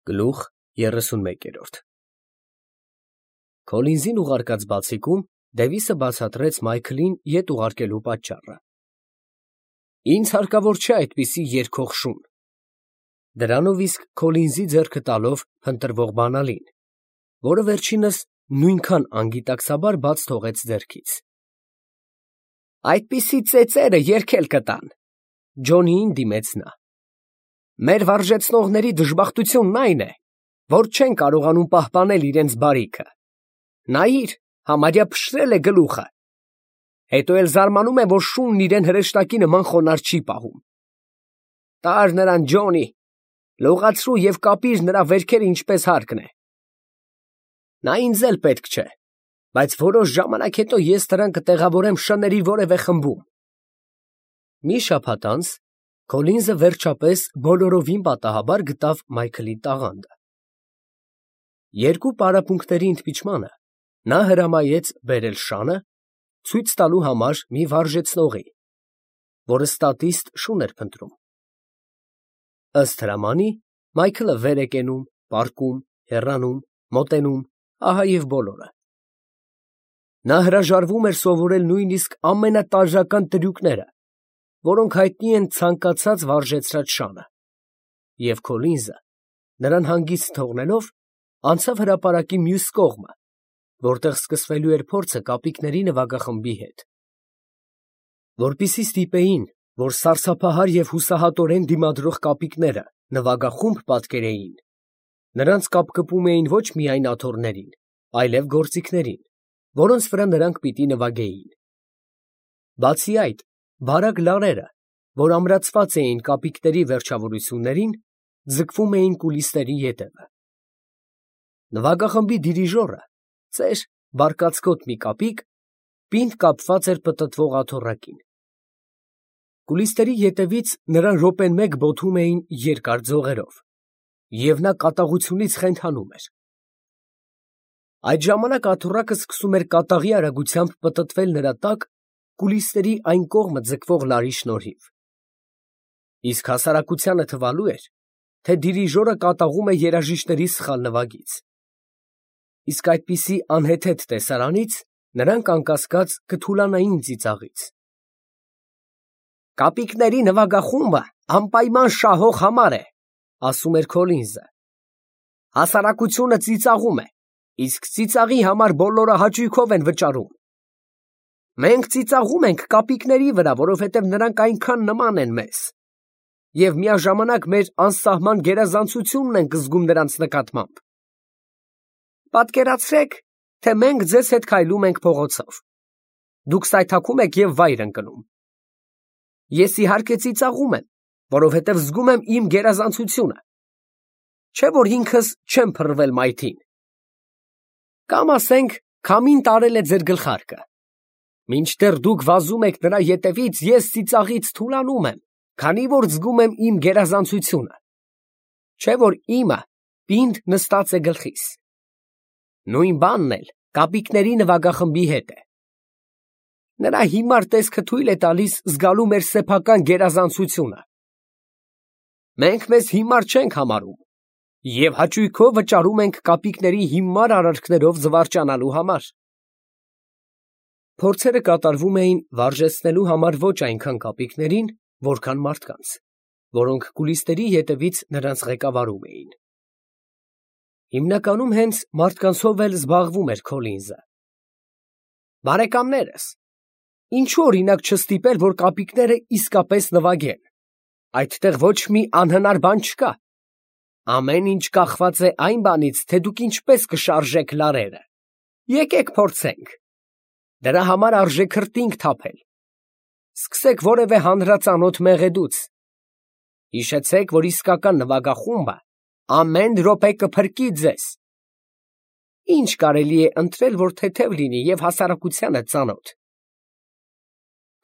Գլուխ 31 Քոլինզին ուղարկած բացիկում Դևիսը բացատրեց Մայքլին ետ ուղարկելու պատճառը։ Ինձ հարկավոր չէ այդպիսի երգող շուն։ Դրանով իսկ Քոլինզի ձեռքը տալով փնտրվող բանալին, որը վերջինս նույնքան անգիտակցաբար բաց թողեց ձեռքից։ Այդպիսի ծեծերը երգել կտան, Ջոնիին դիմեց նա։ Մեր վարժեցնողների դժբախտությունն այն է, որ չեն կարողանում պահպանել իրենց բարիքը։ Նայիր, համարյա փշրել է գլուխը։ Հետո էլ զարմանում է, որ շունն իրեն հրեշտակի նման խոնարհ չի պահում։ Տար նրան, Ջոնի, լողացրու և կապիր նրա վերքերը ինչպես հարկն է։ Նա ինձ էլ պետք չէ, բայց որոշ ժամանակ հետո ես նրան կտեղավորեմ շների որևէ խմբում։ Մի շաբաթ անց Քոլինզը վերջապես բոլորովին պատահաբար գտավ Մայքլի տաղանդը։ Երկու պարապմունքների ընդմիջմանը նա հրամայեց բերել շանը, ցույց տալու համար մի վարժեցնողի, որը ստատիստ շուն էր փնտրում։ Ըստ հրամանի Մայքլը վեր է կենում, պառկում, հեռանում, մոտենում, ահա և բոլորը։ Նա հրաժարվում էր սովորել նույնիսկ ամենատարրական տրյուկները, որոնք հայտնի են ցանկացած վարժեցրած շանը, և Քոլինզը, նրան հանգիստ թողնելով, անցավ հրապարակի մյուս կողմը, որտեղ սկսվելու էր փորձը կապիկների նվագախմբի հետ։ Որպեսզի ստիպեին, որ սարսափահար և հուսահատորեն դիմադրող կապիկները նվագախումբ պատկերեին, նրանց կապկպում էին ոչ միայն աթոռներին, այլև գործիքներին, որոնց վրա նրանք պիտի նվագեին։ Բացի այդ, բարակ լարերը, որ ամրացված էին կապիկների վերջավորություններին, ձգվում էին կուլիսների ետևը։ Նվագախմբի դիրիժորը, ծեր, բարկացկոտ մի կապիկ, պինդ կապված էր պտտվող աթոռակին։ Կուլիսների ետևից նրան րոպեն մեկ բոթում էին երկար ձողերով, և նա կատաղությունից խենթանում էր։ Այդ ժամանակ աթոռակը սկսում էր կատաղի արագությամբ պտտվել նրա տակ կուլիսների այն կողմը ձգվող լարի շնորհիվ։ Իսկ հասարակությանը թվալու էր, թե դիրիժորը կատաղում է երաժիշտների սխալ նվագից։ Իսկ այդպիսի անհեթեթ տեսարանից նրանք անկասկած կթուլանային ծիծաղից։ Կապիկների նվագախումբը անպայման շահող համար է, ասում էր Քոլինզը։ Հասարակությունը ծիծաղում է, իսկ ծիծաղի համար բոլորը հաճույքով են վճարում։ Մենք ծիծաղում ենք կապիկների վրա, որովհետև նրանք այնքան նման են մեզ, և միաժամանակ մեր անսահման գերազանցությունն ենք զգում նրանց նկատմամբ։ Պատկերացրեք, թե մենք ձեզ հետ քայլում ենք փողոցով։ Դուք սայթաքում եք և վայր ընկնում։ Ես իհարկե ծիծաղում եմ, որովհետև զգում եմ իմ գերազանցությունը, չէ՞ որ ինքս չեմ փռվել մայթին։ Կամ ասենք, քամին տարել է ձեր գլխարկը։ Մինչդեռ դուք վազում եք նրա ետևից, ես ծիծաղից թուլանում եմ, քանի որ զգում եմ իմ գերազանցությունը, չէ՞ որ իմը պինդ նստած է գլխիս։ Նույն բանն էլ կապիկների նվագախմբի հետ է։ Նրա հիմար տեսքը թույլ է տալիս զգալու մեր սեփական գերազանցությունը։ Մենք մեզ հիմար չենք համարում և հաճույքով վճարում ենք կապիկների հիմար արարքներով զվարճանալու համար։ Փորձերը կատարվում էին վարժեցնելու համար ոչ այնքան կապիկներին, որքան մարդկանց, որոնք կուլիսների ետևից նրանց ղեկավարում էին։ Հիմնականում հենց մարդկանցով էլ զբաղվում էր Քոլինզը։ Բարեկամներս, ինչու օրինակ չստիպել, որ կապիկները իսկապես նվագեն։ Այդտեղ ոչ մի անհնար բան չկա։ Ամեն ինչ կախված է այն բանից, թե դուք ինչպես կշարժեք լարերը։ Եկեք փորձենք։ Դրա համար արժե քրտինք թափել։ Սկսեք որևէ հանրածանոթ մեղեդուց։ Հիշեցեք, որ իսկական նվագախումբը ամեն րոպե կփրկի ձեզ։ Ինչ կարելի է ընտրել, որ թեթև լինի և հասարակությանը ծանոթ։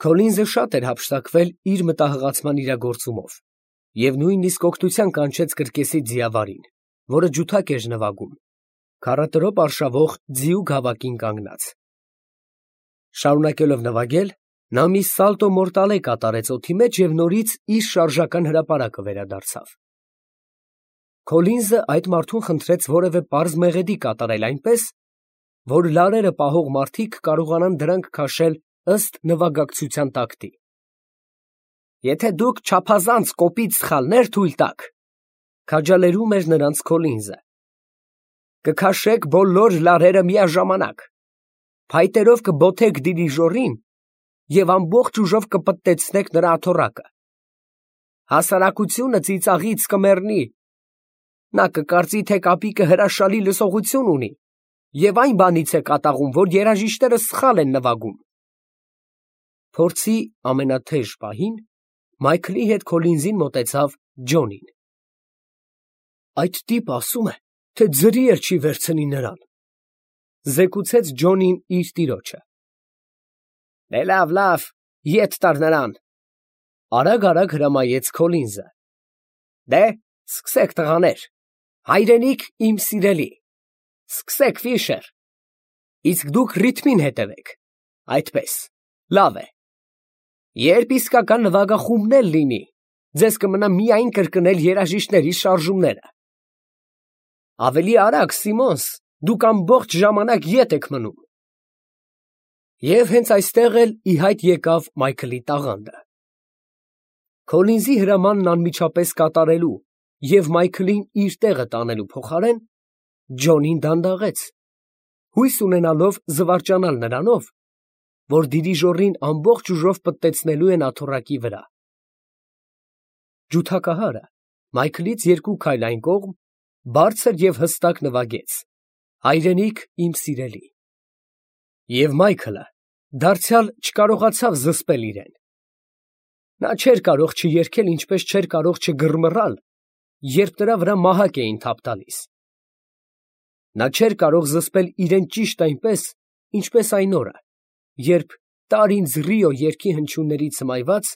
Քոլինզը շատ էր հափշտակվել իր մտահղացման իրագործումով և նույնիսկ օգնության կանչեց կրկեսի ձիավարին, որը ջութակ էր նվագում, քառատրոպ արշավող ձիու գավակին կանգնած։ Շարունակելով նվագել, նա մի սալտո մորտալե կատարեց օդի մեջ և նորից իր շարժական հրապարակը վերադարձավ։ Քոլինզը այդ մարդուն խնդրեց որևէ պարզ մեղեդի կատարել այնպես, որ լարերը պահող մարդիկ կարողանան դրանք քաշել ըստ նվագակցության տակտի։ Եթե դուք չափազանց կոպիտ սխալներ թույլ տաք, քաջալերում էր նրանց Քոլինզը, կքաշեք բոլոր լարերը միաժամանակ, փայտերով կբոթեք դիրիժորին և ամբողջ ուժով կպտտեցնեք նրա աթոռակը։ Հասարակությունը ծիծաղից կմեռնի, նա կկարծի, թե կապիկը հրաշալի լսողություն ունի և այն բանից է կատաղում, որ երաժիշտները սխալ են նվագում։ Փորձի ամենաթեժ պահին Մայքլի հետ Քոլինզին մոտեցավ Ջոնին։ Այդ տիպը ասում է, թե ձրի էլ չի վերցնի նրան, զեկուցեց Ջոնին իր տիրոջը։ Դե լավ, ետ տար նրան, արագ հրամայեց Քոլինզը։ Դե, սկսեք տղաներ, հայրենիք իմ սիրելի, սկսեք Ֆիշեր, իսկ դուք ռիթմին հետևեք, այդպես, լավ է։ Երբ իսկական նվագախումբն էլ լինի, ձեզ կմնա միայն կրկնել երաժիշտների շարժումները։ Ավելի արագ, Սիմոնս, դուք ամբողջ ժամանակ ետ եք մնում։ Եվ հենց այստեղ էլ ի հայտ եկավ Մայքլի տաղանդը։ Քոլինզի հրամանն անմիջապես կատարելու և Մայքլին իր տեղը տանելու փոխարեն Ջոնին դանդաղեց, հույս ունենալով զվարճանալ նրանով, որ դիրիժորին ամբողջ ուժով պտտեցնելու են աթոռակի վրա։ Ջութակահարը Մայքլից 2 քայլ այն կողմ բարձր և հստակ նվագեց. «Հայրենիք իմ սիրելի», և Մայքլը դարձյալ չկարողացավ զսպել իրեն։ Նա չէր կարող չերգել, ինչպես չէր կարող չգռմռալ, երբ նրա վրա մահակ էին թափ տալիս։ Նա չէր կարող զսպել իրեն ճիշտ այնպես, ինչպես այն օրը, երբ «Տար ինձ Ռիո» երգի հնչյուններից հմայված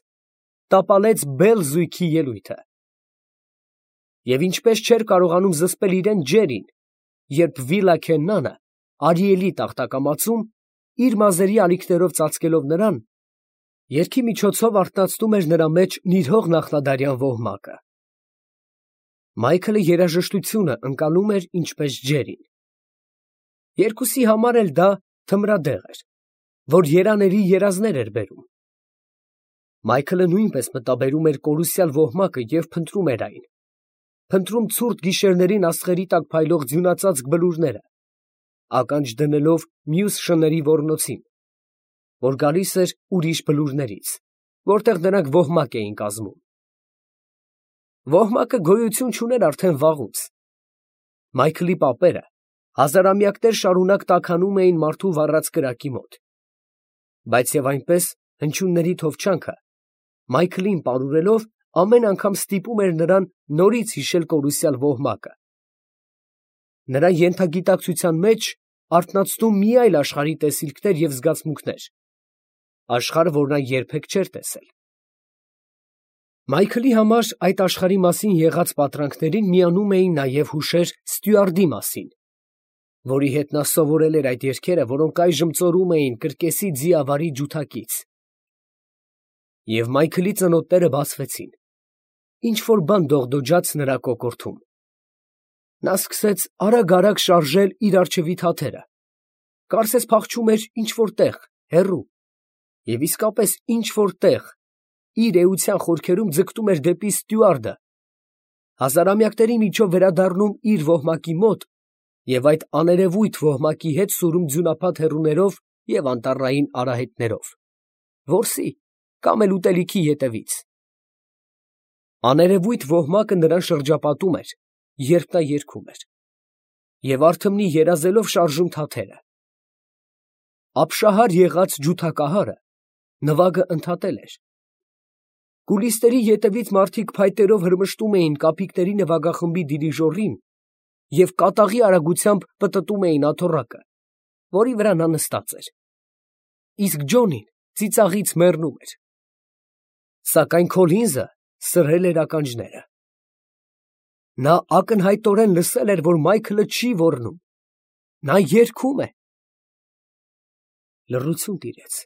տապալեց բել զույգի ելույթը։ Եվ ինչպես չէր կարողանում զսպել իրեն Ջերին, երբ Վիլա Քեննանը Արիելի տախտակամածում իր մազերի ալիքներով ծածկելով նրան, երգի միջոցով արթնացնում էր նրա մեջ նիրհող նախնադարյան ոհմակը։ Մայքլը երաժշտությունը ընկալում էր ինչպես Ջերին։ Երկուսի համար էլ դա թմրադեղ էր, որ երաների երազներ էր բերում։ Մայքլը նույնպես մտաբերում էր կորուսյալ ոհմակը և փնտրում էր այն, փնտրում ցուրտ գիշերներին աստղերի տակ փայլող ձյունածածկ բլուրները, ականջ դնելով մյուս շների ոռնոցին, որ գալիս էր ուրիշ բլուրներից, որտեղ նրանք ոհմակ էին կազմում։ Ոհմակը գոյություն չուներ արդեն վաղուց։ Մայքլի պապերը հազարամյակներ շարունակ տաքանում էին մարդու վառած կրակի մոտ, բայց և այնպես հնչյունների թովչանքը Մայքլին պարուրելով ամեն անգամ ստիպում էր նրան նորից հիշել կորուսյալ ոհմակը, նրա ենթագիտակցության մեջ արթնացնում մի այլ աշխարհի տեսիլքներ և զգացմունքներ, աշխարհ, որ նա երբեք չէր տեսել։ Մայքլի համար այդ աշխարհի մասին եղած պատրանքներին միանում էին նաև հուշեր Ստյուարտի մասին, որի հետ նա սովորել էր այդ երգերը, որոնք այժմ ծորում էին կրկեսի ձիավարի ջութակից։ Եվ Մայքլի ծնոտները բացվեցին, ինչ-որ բան դողդոջաց նրա կոկորդում։ Նա սկսեց արագ շարժել իր առջևի թաթերը, կարծես փախչում էր ինչ-որ տեղ, հեռու, և իսկապես ինչ-որ տեղ, իր էության խորքերում ձգտում էր դեպի Ստյուարտը, հազարամյակների միջով վերադառնում իր ոհմակի մոտ և այդ աներևույթ ոհմակի հետ սուրում ձյունափաթ հեռուներով և անտառային արահետներով, որսի կամ էլ ուտելիքի ետևից։ Աներևույթ ոհմակը նրան շրջապատում էր, երբ նա երգում էր, և արթմնի երազելով շարժում թաթերը։ Ապշահար եղած ջութակահարը նվագը ընդհատել էր։ Կուլիսների ետևից մարդիկ փայտերով հրմշտում էին կապիկների նվագախմբի դիրիժորին և կատաղի արագությամբ պտտում էին աթոռակը, որի վրա նա նստած էր, իսկ Ջոնին ծիծաղից մեռնում էր։ Սակայն Քոլինզը սրել էր ականջները։ Նա ակնհայտորեն լսել էր, որ Մայքլը չի ոռնում, նա երգում է։ Լռություն տիրեց։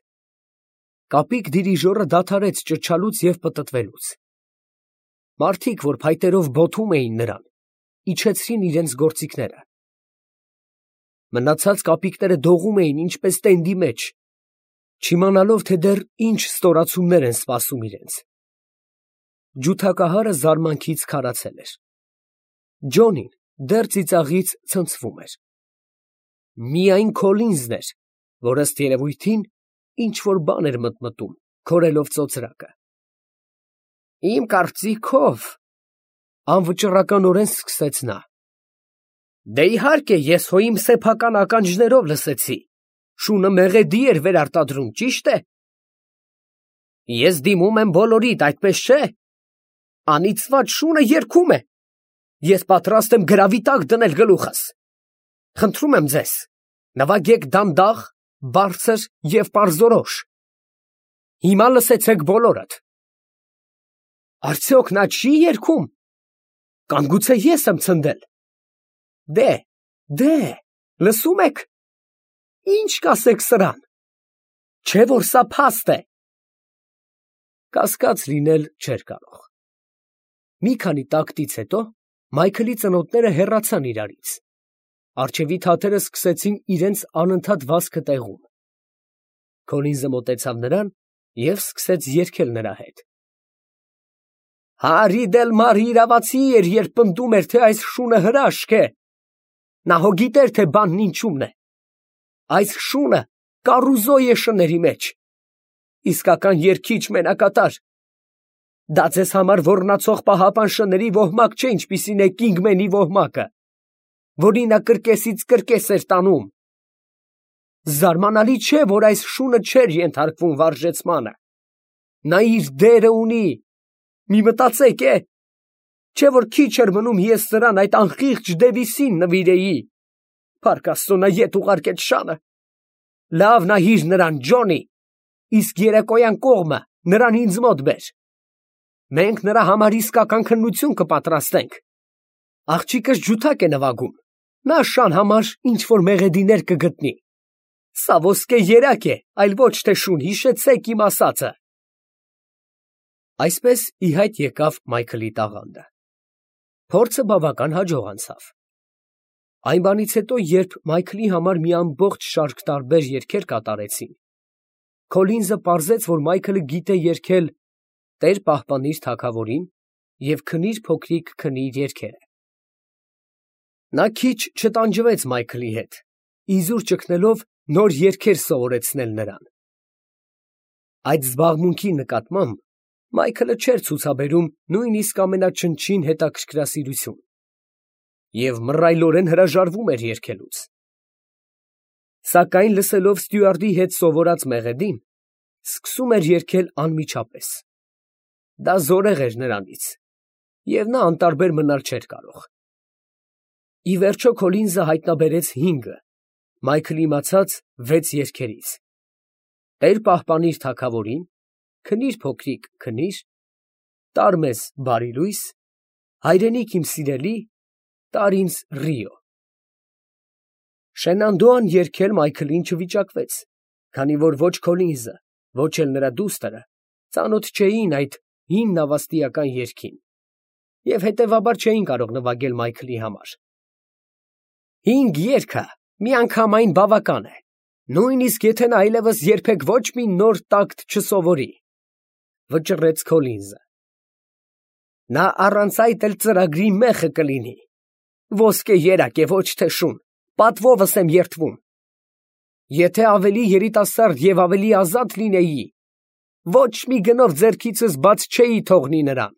Կապիկ դիրիժորը դադարեց ճչալուց և պտտվելուց։ Մարդիկ, որ փայտերով բոթում էին նրան, իջեցրին իրենց գործիքները։ Մնացած կապիկները դողում էին ինչպես տենդի մեջ, չիմանալով, թե դեռ ինչ ստորացումներ են սպասում իրենց։ Ջութակահարը զարմանքից քարացել էր։ Ջոնին դեռ ծիծաղից ցնցվում էր։ Միայն Քոլինզն էր, որ ըստ երևույթին ինչ-որ բան էր մտմտում, քորելով ծոծրակը։ Իմ կարծիքով, անվճռականորեն սկսեց նա, դե իհարկե ես հո իմ սեփական ականջներով լսեցի, շունը մեղեդի էր վերարտադրում, ճիշտ է։ Ես դիմում եմ բոլորիդ, այդպես չէ։ Անիծված շունը երգում է։ Ես պատրաստ եմ գրավի տակ դնել գլուխս։ Խնդրում եմ ձեզ, նվագեք դանդաղ, բարձր և պարզորոշ։ Հիմա լսեցեք բոլորդ։ Արդյոք նա չի երգում։ Կամ գուցե ես եմ ցնդել։ Դե, լսում եք։ Ինչ կասեք սրան։ Չէ՞ որ սա փաստ է։ Կասկած լինել չէր կարող։ Մի քանի տակտից հետո Մայքլի ծնոտները հեռացան իրարից։ Առջևի թաթերը սկսեցին իրենց անընդհատ վազքը տեղում։ Քոլինզը մոտեցավ նրան և սկսեց երգել նրա հետ։ Հարի դել մարի իրավացի էր, երբ պնդում էր, թե այս շունը հրաշք է։ Նա հո գիտեր, թե բանն ինչումն է։ Այս շունը կառուզո է շների մեջ։ Իսկական երգիչ մենակատար։ Դա ձեզ համար ոռնացող պահապան շների ոհմակ չէ, ինչպիսին է Կինգմենի ոհմակը, որին նա կրկեսից կրկես էր տանում։ Զարմանալի չէ, որ այս շունը չէր ենթարկվում վարժեցմանը։ Նա իր դերը ունի։ Մի մտածեք, չէ որ քիչ էր մնում ես նրան այդ անխիղճ Դևիսին նվիրեի։ Փառք Աստծո, նա ետ ուղարկեց շանը։ Լավ նահիր նրան, Ջոնի, իսկ երեկոյան կողմը նրան ինձ մոտ բեր։ Մենք նրա համար իսկական քննություն կպատրաստենք։ Աղջիկս ջութակ է նվագում, նա շան համար ինչ-որ մեղեդիներ կգտնի։ Սա ոսկե երակ է, այլ ոչ թե շուն, հիշեցեք իմ ասածը։ Այսպես ի հայտ եկավ Մայքլի տաղանդը։ Փորձը բավական հաջող անցավ։ Այն բանից հետո, երբ Մայքլի համար մի ամբողջ շարք տարբեր երգեր կատարեցին, Քոլինզը պարզեց, որ Մայքլը գիտե երգել «Տեր պահպանիր թագավորին» և «Քնիր փոքրիկ քնիր» երգերը։ Նա քիչ չտանջվեց Մայքլի հետ, իզուր ճգնելով նոր երգեր սովորեցնել նրան։ Այդ զբաղմունքի նկատմամբ Մայքլը չէր ցուցաբերում նույնիսկ ամենաչնչին հետաքրքրասիրություն և մռայլորեն հրաժարվում էր երգելուց։ Սակայն լսելով ստյուարդի հետ սովորած մեղեդին, սկսում էր երգել անմիջապես։ Դա զորեղ էր նրանից, և նա անտարբեր մնալ չէր կարող։ Ի վերջո Քոլինզը հայտնաբերեց 5-ը, Մայքլը իմացած 6 երգերից. «Տեր պահպանիր թագավորին», «Քնիր փոքրիկ քնիր», «Տար մեզ բարի լույս», «Հայրենիք իմ սիրելի», «Տար ինձ Ռիո»։ Շենանդոան երգել Մայքլին չվիճակվեց, քանի որ ոչ Քոլինզը, ոչ էլ նրա դուստրը ծանոթ չէին այդ հին նավաստիական երգին և հետևաբար չէին կարող նվագել Մայքլի համար։ 5 երգը միանգամայն բավական է, նույնիսկ եթե նա այլևս երբեք ոչ մի նոր տակտ չսովորի, վճռեց Քոլինզը։ Նա առանց այդ էլ ծրագրի մեղը կլինի։ Ոսկե երակ է, ոչ թե շուն, պատվովս եմ երդվում։ Եթե ավելի երիտասարդ և ավելի ազատ լինեի, ոչ մի գնով ձեռքիցս բաց չէի թողնի նրան։